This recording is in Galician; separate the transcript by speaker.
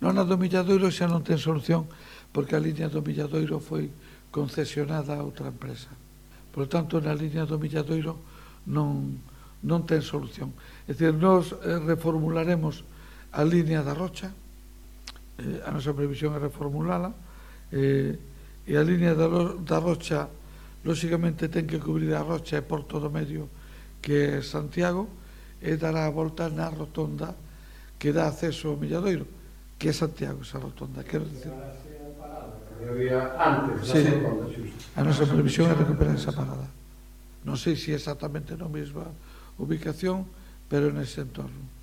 Speaker 1: Non, a do Milladoiro xa non ten solución, porque a liña do Milladoiro foi concesionada a outra empresa. Por lo tanto, na liña do Milladoiro non ten solución. É dicir, nós reformularemos a liña da Rocha, a nosa previsión é reformulala, e a liña da Rocha, lóxicamente, ten que cubrir a Rocha e Porto do Medio, que é Santiago, e dará a volta na rotonda que dá acceso ao Milladoiro, que é Santiago, esa rotonda, quero dicir. Sí, a nosa previsión é recuperar esa parada. Non sei se exactamente na mesma ubicación, pero nese entorno.